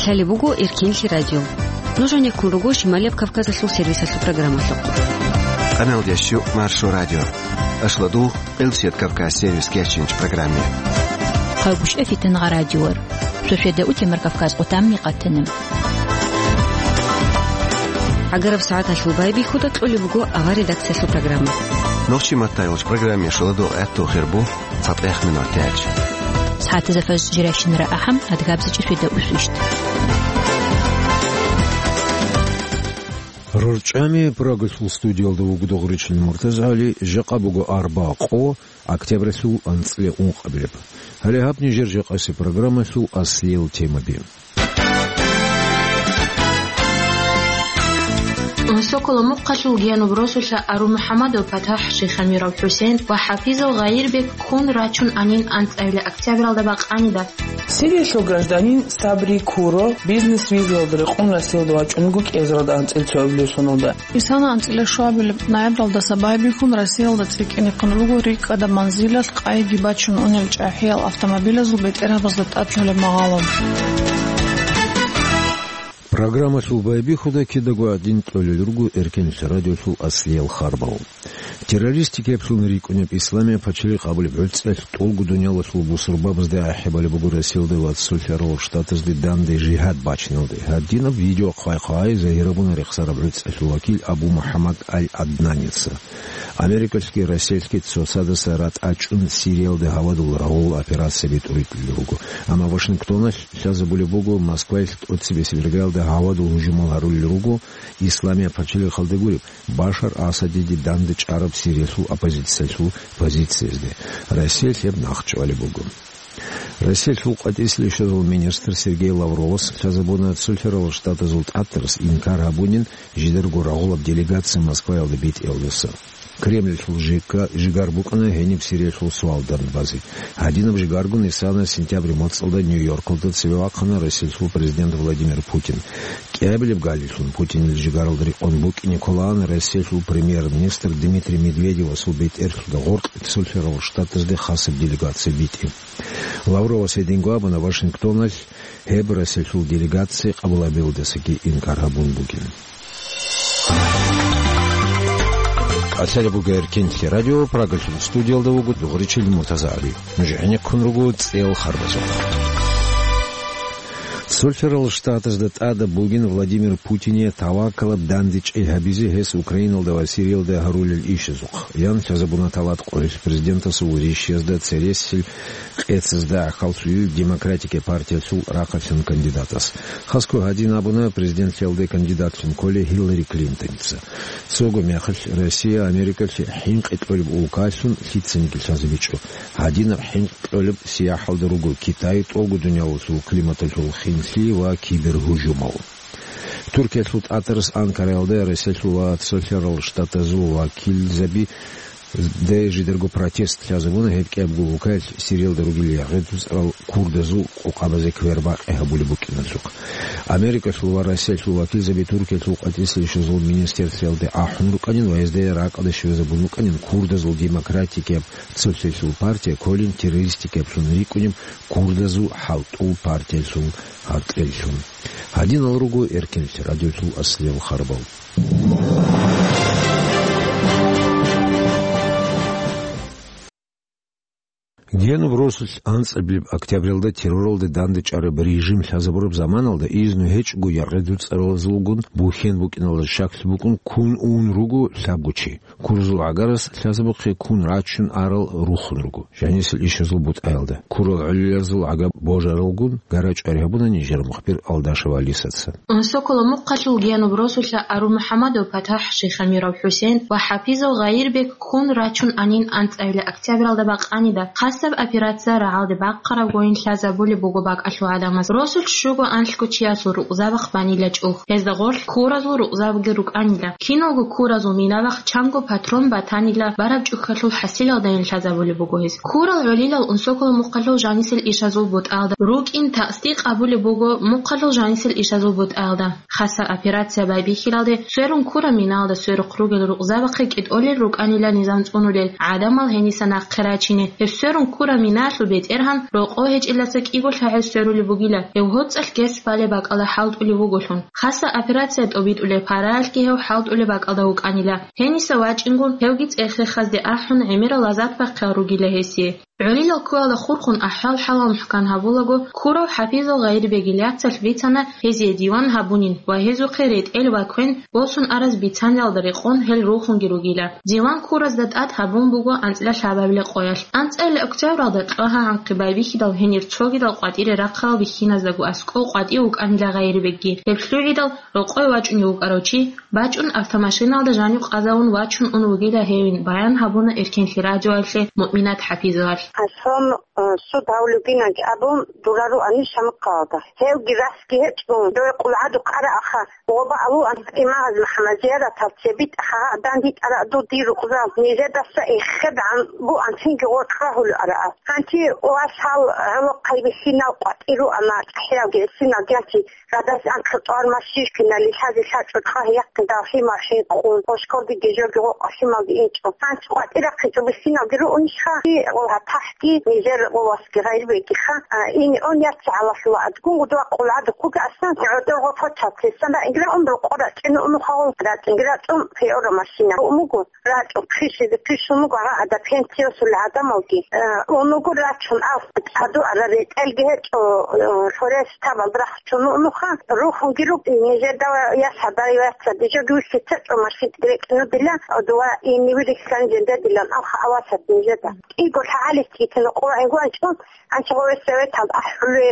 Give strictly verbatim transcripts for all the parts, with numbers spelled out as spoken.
Лъалеб буго Эркенлъи радио. Нуж гьанеккун руго Шималияб Кавказалъул сервисалъул программалъухъ. Къаналдящу Маршо радио. Ашладу Элсет Кавказ сервис кечинч программе. Хъагушев Фитангъа радиор. Шошеда утемар Кавказ къутамни къатанам. ГӀагараб сагӀаталъул байбихьуда кьолеб буго авар редакциялъул программа. Нохчи маттайолч программе шоладо гӀатту хирбу. ЦатӀех минут тяч. СагӀатазда фажр жирайщинара ахӀам, адгабзичӀеб шведа усвищт. РорчӀами Прагалъул студиялда вугода Гъуричил МуртазагӀали, жакъа буго арба къо, октябралъул анцӀила ункъабилеб. Гьале гьаб нижер жакъасеб программалъул аслиял темаби. Сокола мухъалъул Генуб росулъа Ару МухӀаммадов ПатахӀ, Шихамиров ХӀусен ва ХӀафизов Гъайирбек ккун рачун анин анцӀабила октябралда бакъанида. Сириялъул гражданин Сабри Куро бизнес-визаялда рекъон Россиялда вачӀунго кӀиазаралда анцӀила цоабилеб соналда. Исана анцӀила щуабилеб ноябралдаса байбихьун Россиялда цӀикӀкӀинехъин руго рикӀкӀадаб манзилалъ къайги бачун унел чӀахӀиял автомобилазул бетӀергьабазда тӀад лъолеб магъало. Программалъул байбихьуда кидаго гӀадин кьолел руго Эркенлъи радиолъул аслиял харбал. Террористикаблъун рикӀкӀунеб Исламияб пачалихъ абулеб гӀуцӀралъ тӀолго дуниялалъул бусурбабазда ахӀи балеб буго Россиялда ва Цолъарал Штатазде данде жигьад бачиналде. Гьадинаб видео хъвай-хъвай загьирабуна рехсараб гӀуцӀралъул вакил Абу МухӀаммад Аль-Аднаница. Америкалъги Россиялъги цоцадаса ратӀа чӀун Сириялда гьавадул рагъул операция битӀуритӀулел руго. Амма Вашингтоналъ лъазабулеб буго, Москваялъ тӀоцебесеб иргаялда гьавадул гьужумал гьарулел руго Исламияб пачалихъалда гуреб, Башар Асадиде данде чӀараб Сириялъул оппозициялъул позициязде. Россиялъ гьеб нахъчӀвалеб буго. Россиялъул къватӀислъи щвезал министр Сергей Лавровас лъазабуна Цолъарал Штатазул тӀатарас инкар гьабунин жидарго рагъулаб делегация Москваялда битӀиялдаса. Кремльалъул жикка-, жигар букӀана гьениб Сириялъул суал данде базе. Гьадинаб жигаргун Исана сентябрь моцӀалда Нью-Йоркалда цеве вахъана Россиялъул президент Владимир Путин. КӀиабилеб галилъун Путинил жигаралда рекъон букӀине кколаан Россиялъул премьер-министр Дмитрий Медведевасул бетӀерлъуда гъоркь Цолъарал Штатазде хасаб делегация битӀи. Лавровас гьединго абуна Вашингтоналъ гьеб Россиялъул делегация къабулабиялдасаги инкар гьабун бугин. Лъалеб буго Эркенлъи радио, Прагалъул студиялда вуго Дугъричил МуртазагӀали. Нуж гӀенеккун руго цӀел харбазухъ. Цолъарал Штатазда тӀадаб бугин Владимир Путине тавакалаб дандечӀей гьабизе гьес Украиналда ва Сириялда гьарулел ишазухъ. Ян лъазабуна талат къоялъ президентасул рищиязда цересел къецазда гӀахьаллъулел Демократикия партиялъул рахъалъан кандидатас. Хасго гьадин абуна президентлъиялде кандидатлъун кколей Хиллари Клинтоница. Цого мехалъ Россия Америкалъе хӀинкъи кьолеб улкалъун лъицаниги лъазабичӀо. Гьадинаб хӀинкъи кьолеб сияхӀалда руго Китай, тӀолго дуниялалъул климаталъул хинлъи ва кибергьужумал. Туркиялъул тӀатарас Анкараялда Россиялъул ва Цолъарал Штатазул вакилзаби де жидарго протест лъазабуна гьеб кӀиябго улкаялъ Сириялда ругел ягъи-дуцӀарал курдазул къокъабазе квербакъи гьабулеб букӀиналъухъ. Америкалъул ва Россиялъул вакилзаби Туркиялъул къватӀислъи ишазул министерствалде ахӀун рукӀанин ва гьезда ракӀалде щвезабун рукӀанин курдазул демократикияб цолъиялъул партия кколин террористикаблъун рикӀкӀунеб курдазул хӀалтӀул партиялъул гьаркьеллъун. Гьадинал руго Эркенлъи радиолъул аслиял харбал. Генуб росулъ анцӀабилеб октябралда терроралда дандечӀараб режим лъазабураб заманалда изну гьечӀого ягъи-дуцӀаралазулгун бухьен букӀиналда щаклъи букӀун ккун ун руго лъабго чи. Курзул гӀагарас лъазабухъе ккун рачун арал рухун руго. Жанисел ишазул бутӀаялда курал гӀолиларзул гӀага божаралгун гарачӀвари гьабуна нижер мухбир Алдашев Алисаца. Сокола мухъалъул Генуб росулъа Ару МухӀаммадов ПатахӀ, Шихамиров ХӀусен ва ХӀапизов Гъайирбек ккун рачун анин анцӀабила октябралда бакъанида. Хасаб операция рагӀалде бахъараб гойин лъазабулеб буго бакӀалъул гӀадамаз. Росулъ щуго анлъго чиясул рукъзабахъ банила чӀух. Гьезда гъорлъ куразул рукъзабги рукӀанила. Киналго куразул минабахъ чанго патрон батанила бараб чӀухьалъул хӀасилалдайин лъазабулеб буго гьез. Курал гӀолилал Сокола мухъалъул жанисел ишазул бутӀаялда рукӀин тасдикъ абулеб буго мухъалъул жанисел ишазул бутӀаялда. Хасаб операция байбихьилалде сверун ккураб миналда сверухъ ругел рукъзабахъе кӀитӀолел рукӀанила низам цӀунулел, гӀадамал гьениса нахъе рачине. Гьеб сверун Кура минаялъул бетӀергьан рокъов гьечӀелдаса кӀиго лъагӀел сверулеб бугила, гьев гьоцӀалъ гес балеб бакӀалда хӀалтӀулев вуголъун. Хасаб операция тӀобитӀулеб параялъги гьев хӀалтӀулеб бакӀалда вукӀанила. Гьениса вачӀингун, гьевги цӀех-цӀехазде ахӀун, гӀемерал азаб бахъиялъ ругила гьесие. ГӀолилал ккуялда хурхун ахӀвал-хӀалал мухӀкан гьабулаго, ккурав ХӀапизал гъайибегил яцалъ бицана гьезие диван гьабунин ва гьезухъе ретӀел ва квен босун араз бицаниялда рекъон гьел рухунги ругила. Диван ккуразда тӀад гьабун буго анцӀила лъабабилеб къоялъ. АнцӀила октябралда кьвагьа-гьанхъи байбихьидал гьенир цогидал къватӀире рахъарал бихьиназдаго аскӀов къватӀив вукӀанила гъайибегги. Гьеб лъугӀидал рокъове вачӀунев вукӀарав чи, бачӀун автомашиналда жанив къазавун вачун ун вугила гьевин, баян гьабуна Эркенлъи радиоялъе Муъминат ХӀапизовалъ. Аслан, э, суд гьавлугинанги абун, дура руани Шамахъалда. Гьевги расги гьечӀун, дой къулгӀадухъ ара аха, гъоба алуан имагьаз МахӀамад-Зияратал цебитӀа хагьа дандитӀара ду дир рукъзал, нижедаса эхедгӀан буан цинги гъоркь рагьулев ара. Гьанти вас гьал гӀолохъай бихьинал къватӀир руана, цӀахӀиялги гӀисиналги гьанти радас анкьа тӀвар машинкинали лъази лъачӀо кьвагь-яхъин далхи-мархӀин кьун, гъошкорги гежоги гъо къалъималги инчӀо. Гьанти къватӀирахъинчӀо бихьиналги руунищха, гъо гьатахӀги, нижер гъо васги гъайрибегиха, а, ин-, он яц гӀалалъула адгун гъудва къулгӀадухъуги асан, гӀодор гъо почат лъисан ра ингра ун рукъо рачӀине унухъа гъо рачӀингра цӀун пеора машина. Умуго. РачӀун хъишизе хъишун буго гьагъа ада пенсиясул гӀадамалги. Э, унуго рачун ал цӀаду ара ретӀелги гьечӀо, э, лъорес табал рахчун унуха, рухунги рук нижеда ва ясадай вацаде жо гуси цечӀо машин рекӀну дила, дова инивирихьан жендедилан алха авасат нижеда. КӀиго лъагӀалис гьитина къо гӀингванчӀун, анча гъове советал ахӀуле,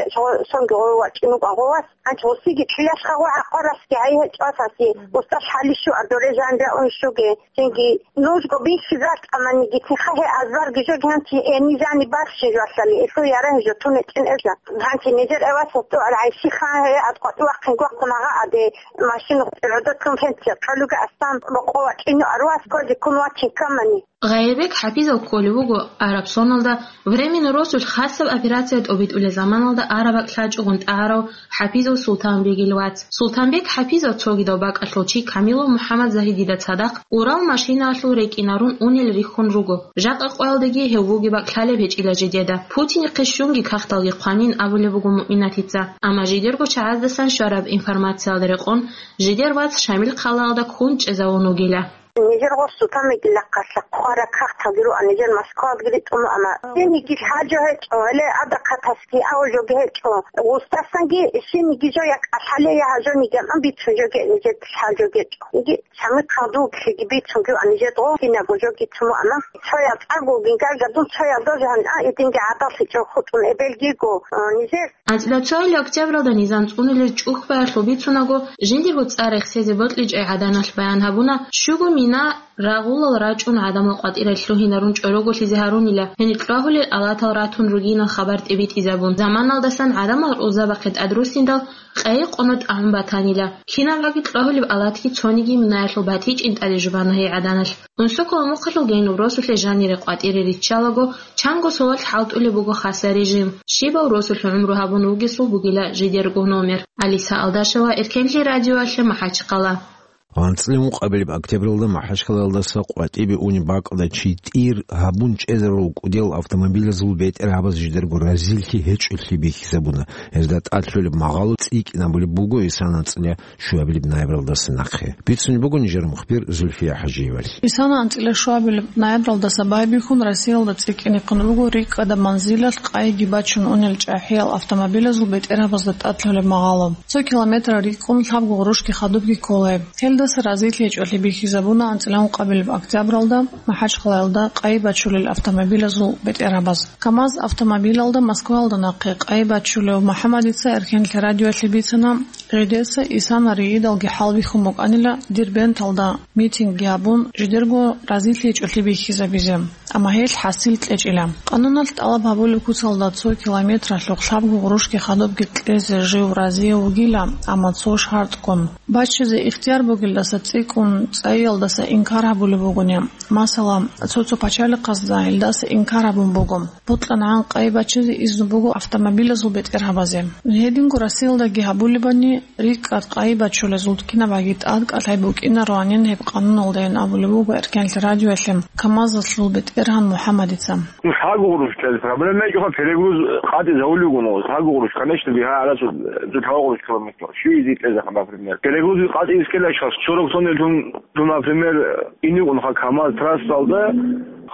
сонги гъове вачӀину гъовас. Гьанчи гъусиги чиясха гъо гӀакъарасги гьай гьечӀо асаси, устӀаш гьалищу адоре жанра уншуге. Цинги нужго бихьизар тӀаманиги, цинха гье азбарги жо гьанчи эни жани барщин жвалъали, илъу яра гьежо тунечӀин эза. Гьанчи нижер эваса тӀугӀал гӀайщиха гье адкъватӀи вахъин гвахъун гьагъа аде машину гӀодотлъун гьенчи кьолуга асан бокъо вачӀину арвас кодиккун вачин камани. Гъайибек ХӀапизов кколев вуго Арабсоналда, временный росулъ хасаб операция тӀобитӀулел заманалда араб бакӀ лъачӀогъун тӀагӀарав ХӀапизов Султанбегил вац. Султанбек ХӀапизов цогидав бакӀалъул чи Камилов МухӀаммад Загьидида цадахъ Урал машинаялъул рекӀинарун унел рихьун руго. Жакъа къоялдаги гьев вугеб бакӀ лъалеб гьечӀила жидеда. Путинихъе щунги кагъталги хъванин абулеб буго Муъминатица, амма жидерго чагӀаздасан щвараб информациялда рекъон, жидер вац Шамил хъалаялда ккун чӀезавун вугила. Нижер гъосу тамигилахъалъа хъвара кагъталги руан, нижер Москвалги ритӀун, амма сениги лъаджо гьечӀо, гьеле адахъатасги аважоги гьечӀо. Устасанги сениги жо я кӀалъале, я гьажониги аман бицун жоги нижер лъаджо гьечӀо. Иги самихъал дуглъиги бицун руан нижер гъо кинаго жоги цуму, амма цоял тӀагулгин гайгадун цоял дожгьан, а, идинги гӀадалъичӀо хутӀун эбелгиго, а, нижер. АнцӀила цоял октябралда низам цӀунулел чӀухӀбаялъул бицунаго, жиндирго цӀар рехсезе бокьичӀей гӀаданалъ баян гьабуна, щуго мина рагъулал рачӀун гӀадамал къватӀирал лъугьинарун чӀороголъизе гьарунила, гьенир кьвагьулел алатал ратун ругинал хабар тӀибитӀизабун. Заманалдасан гӀадамал рузабахъе тӀадруссиндал къайи-къоно тӀагӀун батанила. КинабгӀаги кьвагьулеб алатги цониги минаялъул батичӀин тӀаде жубана гьей гӀаданалъ. Унсоколо мухъалъул гьениб росулъе жанире къватӀире риччалаго, чанго солалъ хӀалтӀулеб буго хасар режим. Щибав росулъ гӀумру гьабун вугесул бугила жидерго номер. Алиса Алдашева, Эркенлъи радиоялъе, МахӀачхъала. АнцӀила ункъабилеб октябралда МахӀачхъалаялдаса къватӀибе унеб бакӀалда чи тӀир гьабун чӀезарул кӀудиял автомобилазул бетӀергьабаз жидерго разилъи гьечӀолъи бихьизабуна. Гьезда тӀад лъолеб магъало цӀикӀкӀинабулеб буго исан анцӀила щуабилеб ноябралдаса нахъе. Бицунеб буго нижер мухбир Зульфия ХӀажиевалъ. Исан анцӀила щуабилеб ноябралдаса байбихьун Россиялда цӀикӀкӀинехъин буго рикӀкӀадаб манзилалъ къайги бачун унел чӀахӀиял автомобилазул бетӀергьабазда тӀад лъолеб магъало. Цо километр рикӀкӀун лъабго гъурущги хадубги ккола гьеб. Гьелдаса разилъи гьечӀолъи бихьизабуна анцӀила ункъабилеб октябралда МахӀачхъалаялда къайи бачулел автомобилазул бетӀергьабаз. КамАЗ автомобилалда Москваялда нахъе къайи бачулев МухӀаммадица Эркенлъи радиоялъе бицана, жидеца исана риидалги хӀалбихьун букӀанила Дербенталда митингги гьабун, жидерго разилъи гьечӀолъи бихьизабизе, амма гьелъ хӀасил кьечӀила. Къануналъ тӀалаб гьабулеб куцалда цо километралъухъ лъабго гъурущги хадубги кьезе жив разияв вугила, амма цо шартӀгун. Баччизе ихтияр бугелдаса цӀикӀкӀун цӀайиялдаса инкар гьабулеб бугони. Масала, цо-цо пачалихъазда гьелдаса инкар гьабун буго. БутӀланагӀан къайи баччизе изну буго автомобилазул бетӀергьабазе. Гьединго Россиялдаги гьабулебани, рикӀкӀад къайи бачулезул кинабгӀаги тӀадкӀалъай букӀинароанин гьеб къануналдайин абулеб буго Эркенлъи радиоялъе КамАЗалъул бетӀер БетӀергьан МухӀаммадица. Ну, лъабго гъурущ кьезе проблема гьечӀоха, перегруз къатӀизавулев вуго, лъабго гъурущ, конечно, бигьа гьарасу цо лъабго гъурущ километр. Щуй изи кьезаха, например. Перегруз къатӀизе ккелаха, сорок тонн лъун, ну, например, инигъунха КамАЗ трассалда,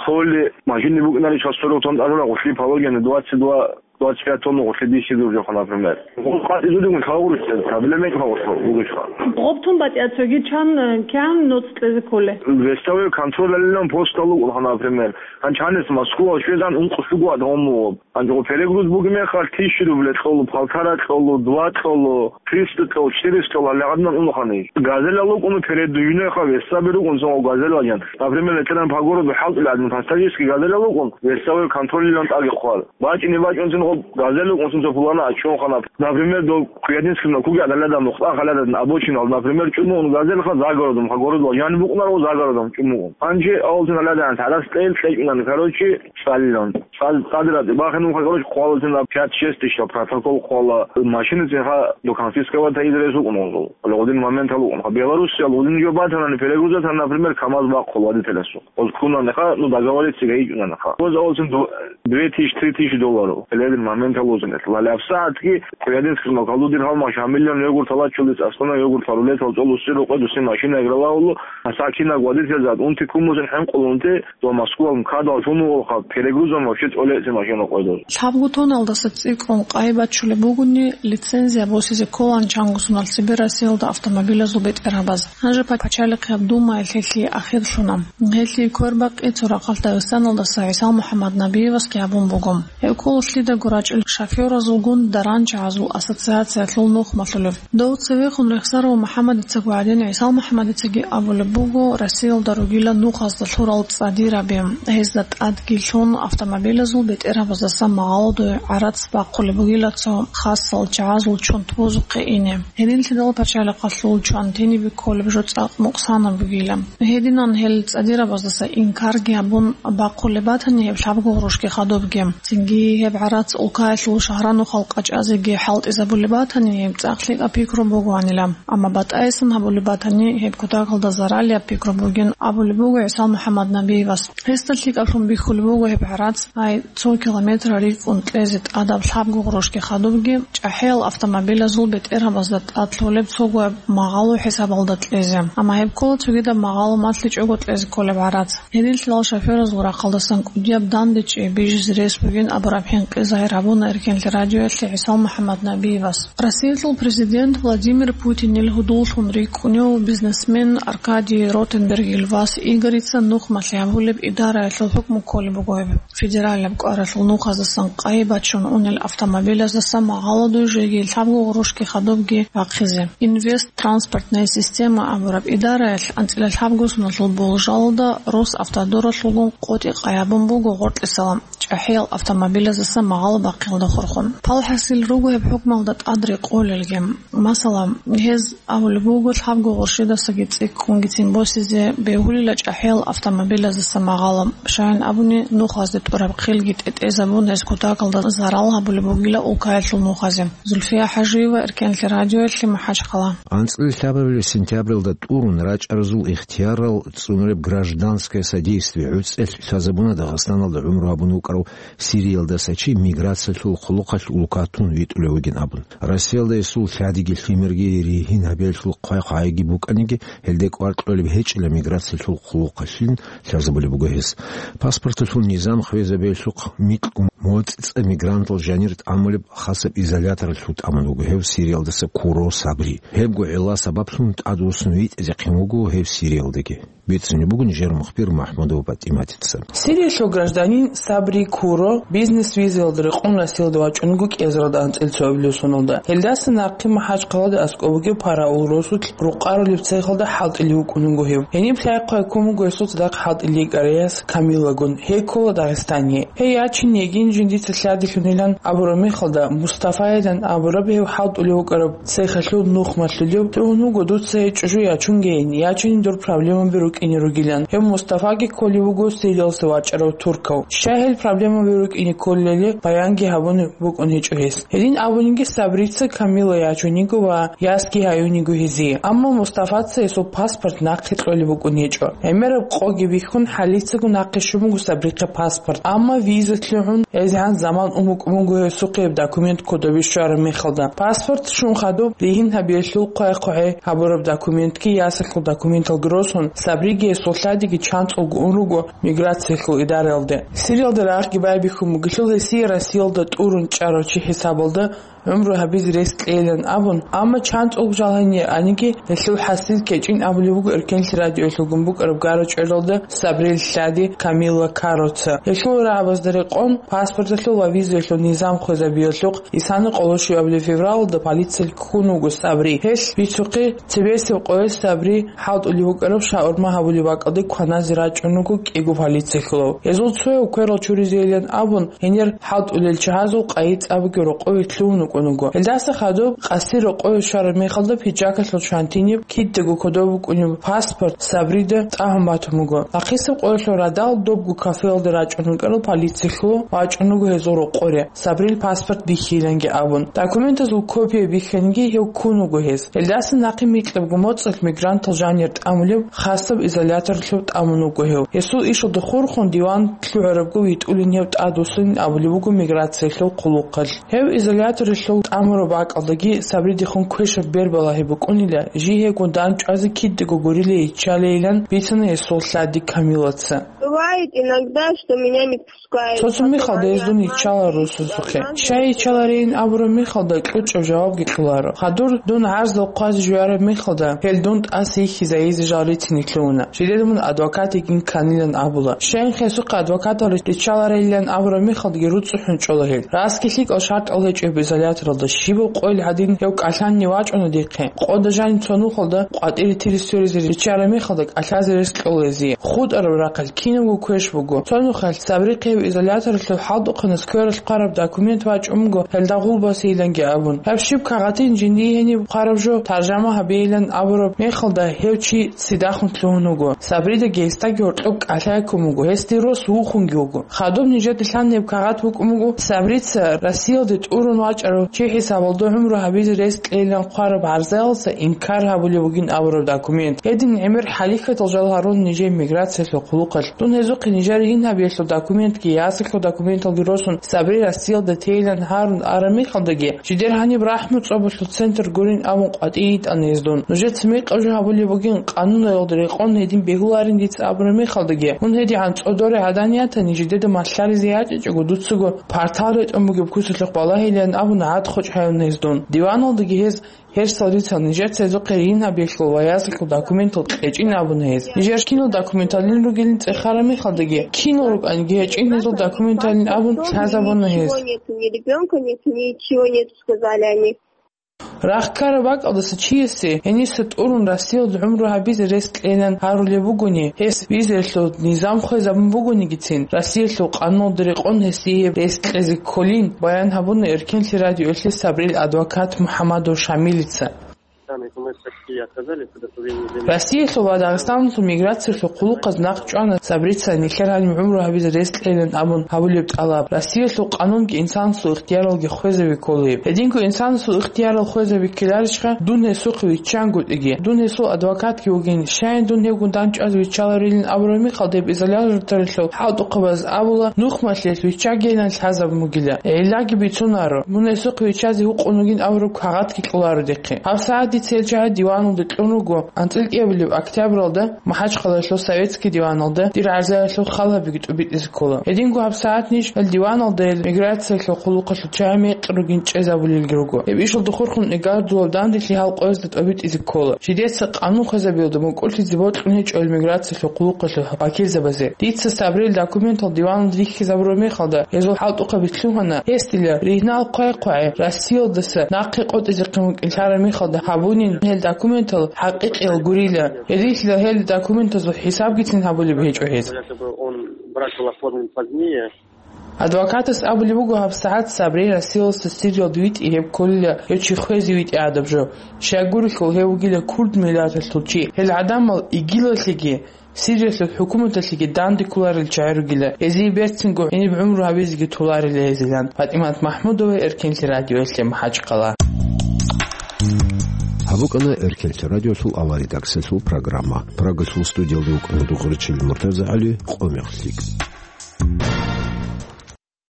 холли машинни букӀиналищха сорок тонн тӀалура, гъулъи пологине двадцать два, двадцать пять тонн гъулъи диси дуржаха, например. Гъул къатӀизулигун лъабго гъурущ кьезе проблема гьечӀоха, гъурущ гъурущха. Гъоб тун батӀияб цоги чан, э, кигӀан ноцӀ кьезе кколей? Весовой контроль алилан постал вукӀунха, например. Гьанчанес Москва щвезан ункъо щуго адам вуго. Гьанже перегруз бугеб мехалъ тысяча рубль кьолу, полтора кьолу, два кьолу, триста кьолу, четыреста кьолу, гьале гӀадамал унухъани. Газелал вукӀун передвижнойха весаби рукӀун цо газелал ян. Например, ветеран по городу хӀалтӀулел гӀадин пассажирский газелал вукӀун, весовой контролилан тӀаги хъвар. БачӀине бачӀунцин гъоб газел вукӀунцин цо пулана ачунхана. Например, до Куядинским куги гӀадалада мухъа халада обочинал, например, чӀумун газелха загородом, ха городал, яни букӀунаро загородом чӀумун. Гьанже авалцин гьаладан тарас кьел кьечӀунан, короче, цӀалилан. Цад-, цадра бахинун, короче, хъвалатин пять-шесть тысяч протокол хъвала, машиницин ха до конфисковать изрес вукӀун гъозул. Гъодин моментал вукӀун. Белоруссиял гъодин жо батанани перегрузатан, например, КамАЗ бахъул водителасул. Оз кунанха, ну, договориться гайичӀунанха. Оз олцин ду-, две тысячи, три тысячи долларов. Ледин моментал узин. Лалафсаатги, Куядинским калудин гьал машин миллион йогурт алачулис, аслана йогурт фарулетал цолуси рукъе дуси машина игралаулу, асакина гвадител зад, унти кумузин хӀинкъул унти, до Москва МКАДал шумугъулха, перегрузом вообще цолеси машина къойдоз. Лъабго тонналдаса цӀикӀкӀун къай бачулеб бугони, лицензия босизе кколан чангусунал цебе Россиялда автомобилазул бетӀергьабаз. Гьанже пачалихъ гьаб думаялъ гьелъие ахирлъуна. Гьелъие квербакъи цо рахъалъ Дагъистаналдаса ГӀисал МухӀаммад Набиевасги гьабун буго. Гьев ккола лъидаго рачӀел шофёразулгун даранчагӀазул ассоциациялъул нухмалъулев. Дов цевехун рехсарав МухӀаммадицаго гӀадин, ГӀисал МухӀаммадицаги абулеб буго Россиялда ругила нухазда лъурал цӀадираби, гьезда тӀадги лъун автомобилазул бетӀергьабаздаса магъалдуй гӀарац бахъулеб бугила цо хасал чагӀазул чонт бузухъе ине. Гьединлъидал пачалихъалъул чван тинибе кколеб жо цӀакъ мукъсанаб бугила. Гьединан гьел цӀадирабаздаса инкарги гьабун бахъулеб батани гьеб лъабго гъурущги хадубги. Цинги гьеб гӀарац улкаялъул шагьранухъал къачӀазеги хӀалтӀизабулеб батани гьеб цӀакъ лъикӀаб пикру бугоанила. Амма батӀайсан гьабулеб батани гьеб кутакалда заралияб пикру бугин абулеб буго ГӀисал МухӀаммад Набиевас. Гьесда лъикӀаблъун бихьулеб буго гьеб гӀарац, гьай, цо километр рикӀкӀун кьезе тӀадаб лъабго гъурущги хадубги, чӀахӀиял автомобилазул бетӀергьабазда тӀад лъолеб цогояб магъало хӀисабалда кьезе. Амма гьеб ккола цогидаб магъало малъичӀого кьезе кколеб гӀарац. Гьединлъидал шофёразул рахъалдасан кӀудияб дандечӀей бижизе рес бугин абураб хӀинкъи загьир гьабуна Эркенлъи радиоялъе ГӀисал МухӀаммад Набиевас. Россиялъул президент Владимир Путинил гьудуллъун рикӀкӀунев бизнесмен Аркадий Ротенбергил вас Игорица нухмалъи гьабулеб идараялъул хӀукму кколеб буго гьеб. Федералаб кӀваралъул нухаздасан къайи бачун унел автомобилаздаса магъаладуй жеги лъабго гъурущги хадубги бахъизе. Инвест транспортная система абураб идараялъ анцӀила лъабго соналъул болжалда Росавтодоралъулгун къотӀи къайи гьабун буго гъоркьисала чӀахӀиял автомобилаздаса магъало бахъиялда хурхун. ПалхӀасил руго гьеб хӀукмалда тӀад рекъолелги. Масала, гьез абулеб буго лъабго гъурущидасаги цӀикӀкӀунгицин босизе бегьулила чӀахӀиял автомобилаздаса магъало, щайин абуни, нухазде тӀураб хъилги тӀетӀезабун, гьез кутакалда зарал гьабулеб бугила улкаялъул нухазе. Зульфия ХӀажиева, Эркенлъи радиоялъе, МахӀачхъала. АнцӀила лъабабилеб сентябралда тӀурун рачӀаразул ихтиярал цӀунареб гражданское содействие гӀуцӀелъ лъазабуна Дагъистаналда гӀумру гьабун вукӀарав Сириялдаса чи миграциялъул хъулухъалъ улкатун витӀулев вугин абун. Россиялда гьесул лъадиги лъимерги ригьин гьабиялъул хъвай-хъвайги букӀаниги, гьелде кӀвар кьолеб гьечӀила миграциялъул хъулухъалъин лъазабулеб буго гьес. Паспорталъул низам хвезабиялъухъ микьго моцӀ-цӀа мигрантал жанир тӀамулеб хасаб изоляторалъув тӀамун вуго гьев Сириялдаса Куро Сабри. Гьебго гӀилла сабаблъун тӀадвуссун витӀизехъин вуго гьев Сириялдаги. Бицунеб буго нижер мухбир МахӀмудова ПатӀиматица. Сириялъул гражданин Сабри Куро бизнес-визаялда рекъон Россиялда вачӀунго кӀиазаралда анцӀила цоабилеб соналда. Гьелдаса нахъе МахӀачхъалада аскӀоб бугеб параул росулъ рукъарулеб цехалда хӀалтӀилев вукӀун вуго гьев. Гьениб лъай-хъвай ккун буго гьесул цадахъ хӀалтӀилей кӀараяс Камилагун. Гьей ккола Дагъистане. Гьей ячинегин Жиндица лъадилъунилан абураб мехалда, Мустафайилан абураб гьев хӀалтӀулев вукӀараб цехалъул нухмалъулев, лъугьун вуго дуца гьечӀо жо ячунгейин, ячунин дур проблемаби рукӀине ругилан. Гьев Мустафаги кколев вуго Сириялъа вачӀарав туркав. Щай гьел проблемаби рукӀине кколелали баянги гьабун букӀун гьечӀо гьес. Гьедин абуниги, Сабрица Камила ячуниго ва ясги гьаюниго гьезие. Амма Мустафаца гьесул паспорт нахъе кьолеб букӀун гьечӀо. ГӀемераб къоги бихьун, хӀалицаго нахъе щун буго Сабрихъе паспорт. Амма виза лъугӀун, гьезегӀан заман ун букӀун буго гьесухъе гьеб документ кодобе щвараб мехалда. Паспорт щун хадуб, ригьин гьабиялъул хъвай-хъвагӀи гьабураб документги ясалъул документалги росун, Сабриги гьесул лъадиги чанцӀулго ун руго миграциялъул идараялде. Сириялда рагъги байбихьун бугелъул, гьесие Россиялда тӀурун чӀарав чи хӀисабалда гӀумру гьабизе рес кьейилан абун, амма чанцӀулго жал гьанир аниги, гьелъул хӀасил кечӀин абулеб буго Эркенлъи радиоялъулгун букӀараб гара-чӀвелалда Сабрил лъади Камила Кароца. Гьелъул рагӀабазда рекъон, паспорталъул ва визаялъул низам хвезабиялъухъ, исана къоло щуабилеб февралалда полициялъ ккун вуго Сабри. Гьелъ бицухъе, цебесеб къоялъ Сабри хӀалтӀулев вукӀараб шаурма гьабулеб бакӀалде кваназе рачӀун вуго кӀиго полициялъулав. Гьезул цояв кверал чуризейилан абун, гьенир хӀалтӀулел чагьазул къайи цӀабаги рокъове лъугьун вукӀун вуго. Гьелдаса хадуб къаси рокъове щвараб мехалда пиджакалъул чвантиниб, кидаго кодоб букӀунеб паспорт Сабрида тӀагьун батун буго. Нахъисеб къоялъул радал добго кафеялде рачӀун вукӀарал полициялъулав вачӀун вуго гьезул рокъоре, Сабрил паспорт бихьиланги абун. Документазул копия бихьаниги гьев ккун вуго гьез. Гьелдаса нахъе микьабго моцӀалъ мигрантал жанир тӀамулеб хасаб изоляторалъув тӀамун вуго гьев. Гьесул ишалда хурхун диван лъугӀарабго витӀулин гьев тӀадвуссунин абулеб буго миграциялъул хъулухъалъ. Гьев изоляторалъув тӀамураб бакӀалдаги Сабридехун квешаб бер балагьи букӀунила, жий гьевгун дандчӀвазе кидаго гурилей иччалейилан бицана гьесул лъади Камилаца. Бывает иногда, что меня не пускают. Цо-цо михалда гьез дун иччала росасухъе. Щай иччаларейин абураб михалда кьучӀаб жавабги кьоларо. Хадур дун гӀарзал хъвазе жуяраб михалда, гьел дун тӀаса йихьизайизе жал рицин лъугьуна. Жидеда мун адвокат йигин кканилан абула. Щайин гьесухъе адвокатал риччаларейилан абураб михалдаги руцӀцӀухӀун чӀола гьел. Расги лъикӀал шартӀал гьечӀеб изоляторалда щибаб къойил гьадин гьев кӀалъанни вачӀуна дихъе. Къода жаниб цо нухалда къватӀире тири сверизе риччараб михалда кӀалъазе рес кьола гьезие. ХутӀараб рахъалъ кинабго квеш буго. Цо нухалъ Сабрихъе гьев изоляторалъул хӀалтӀухъанас квералъ хъвараб документ вачӀун буго гьелда гъулбасейиланги абун. Гьаб щиб кагъатин жиндие гьениб хъвараб жо таржама гьабейилан абураб мехалда гьев чи цидахун лъугьун вуго. Сабрида гьесдаги гьоркьоб кӀалъай ккун буго, гьесде рос вухунги вуго. Хадуб нижеда лъан гьеб кагъат букӀун буго, Сабрица Россиялде тӀурун вачӀарав чи хӀисабалда гӀумру гьабизе рес кьейилан хъвараб гӀарзаялдаса инкар гьабулеб бугин абураб документ. Гьедин гӀемер хӀалихьатал жал гьарун нижее миграциялъул хъулухъалъ. Дун гьезухъе нижер ригьин гьабиялъул документги ясалъул документалги росун Сабри Россиялда тейилан гьарун араб мехалдаги, жидер гьаниб рахӀму цӀобалъул центр гурин абун къватӀий йитӀана гьез дун. Нужеца мекъаб жо гьабулеб бугин, къануналда рекъон гьедин бегьуларин дица абураб мехалдаги, мун гьедигӀан цӀодоре гӀадан ятани, жидеда малъаризе ячӀичӀого дуцаго партал ретӀун бугеб куцалъухъ балагьилан абун гӀад-хочӀ гьаюна гьез дун. Диваналдаги гьез гьерсал рицал нижер цезухъе ригьин гьабиялъул ва ясалъул документал кьечӀин абуна гьез. Нижер кинал документалин ругелин цӀехараб мехалдаги, кинал рукӀаниги гьечӀин гьезул документалин абун лъазабуна гьез. Ничего нету, ни ребёнка нету, ничего нету, сказали они. Рахъ ккараб бакӀалдаса чиясе гьениса тӀурун Россиялда гӀумру гьабизе рес кьейилан гьарулеб бугони, гьес визаялъул низам хвезабун бугонигицин, Россиялъул къануналда рекъон гьесие рес кьезе кколин, баян гьабуна Эркенлъи радиоялъе Сабрил адвокат МухӀамадов Шамилица. Россиялъул ва Дагъистаналъул миграциялъул хъулухъаз нахъ чӀвана Сабрица нилъер гьаниб гӀумру гьабизе рес кьейилан абун гьабулеб тӀалаб. Россиялъул къанунги инсанасул ихтияралги хвезаби кколеб. Гьединго инсанасул ихтиярал хвезаби ккеларищха, дун гьесухъе виччангутӀиги, дун гьесул адвокатги вугин, щайин дун гьевгун дандчӀвазе виччаларилин абураб мехалда гьеб изоляторалъул хӀалтӀухъабаз абула, нухмалъиялъ виччагейилан лъазабун бугила. ГӀиллаги бицунаро, мун гьесухъе виччазе гьукъун вугин абураб кагъатги кьоларо дихъе. ГьабсагӀат дица гьел чагӀи диваналде кьун руго, анцӀила кӀиабилеб октябралда МахӀачхъалаялъул Советский диваналда дир гӀарзаялъул хал гьабиги тӀубитӀизе ккола. Гьединго гьабсагӀат ниж гьел диваналда гьел миграциялъул хъулухъалъул чагӀи мекъи ругин чӀезабулелги руго. Гьеб ишалда хурхун игар дулаб данделъи гьал къоязда тӀубитӀизе ккола. Жидеца къанун хвезабиялда мукӀурлъизе бокьун гьечӀо гьел миграциялъул хъулухъалъул вакилзабазе. Дица Сабрил документал диваналде рихьизабураб мехалда, гьезул хӀалтӀухъаби лъугьана, гьес дила ригьнал хъвай-хъвагӀи Россиялдаса нахъе къотӀизехъин вукӀинлъараб мехалда гьабунин гьел документал хӀакъикъиял гурила. Гьединлъидал гьел документазул хӀисабгицин гьабулеб гьечӀо гьез. Если бы он брак был оформлен позднее, Адвокатас абулеб буго, гьабсагӀат Сабри Россиялалъул Сириялда витӀи гьеб кколила гьев чи хвезе витӀи гӀадаб жо. Щайгурелъул гьев вугила курд миллаталъул чи. Гьел гӀадамал игилалъеги, Сириялъул хӀукуматалъеги данде кколарел чагӀи ругила, гьезие берцинго гьениб гӀумру гьабизеги толарила гьезилан. ПатӀимат МахӀмудова, Эркенлъи радиоялъе, МахӀачхъала. Гьаб букӀана Эркенлъи радиоялъул авария редакциялъул программа. Прагалъул студиялда вукӀана Дугъричил МуртазагӀали, къо мехлъи.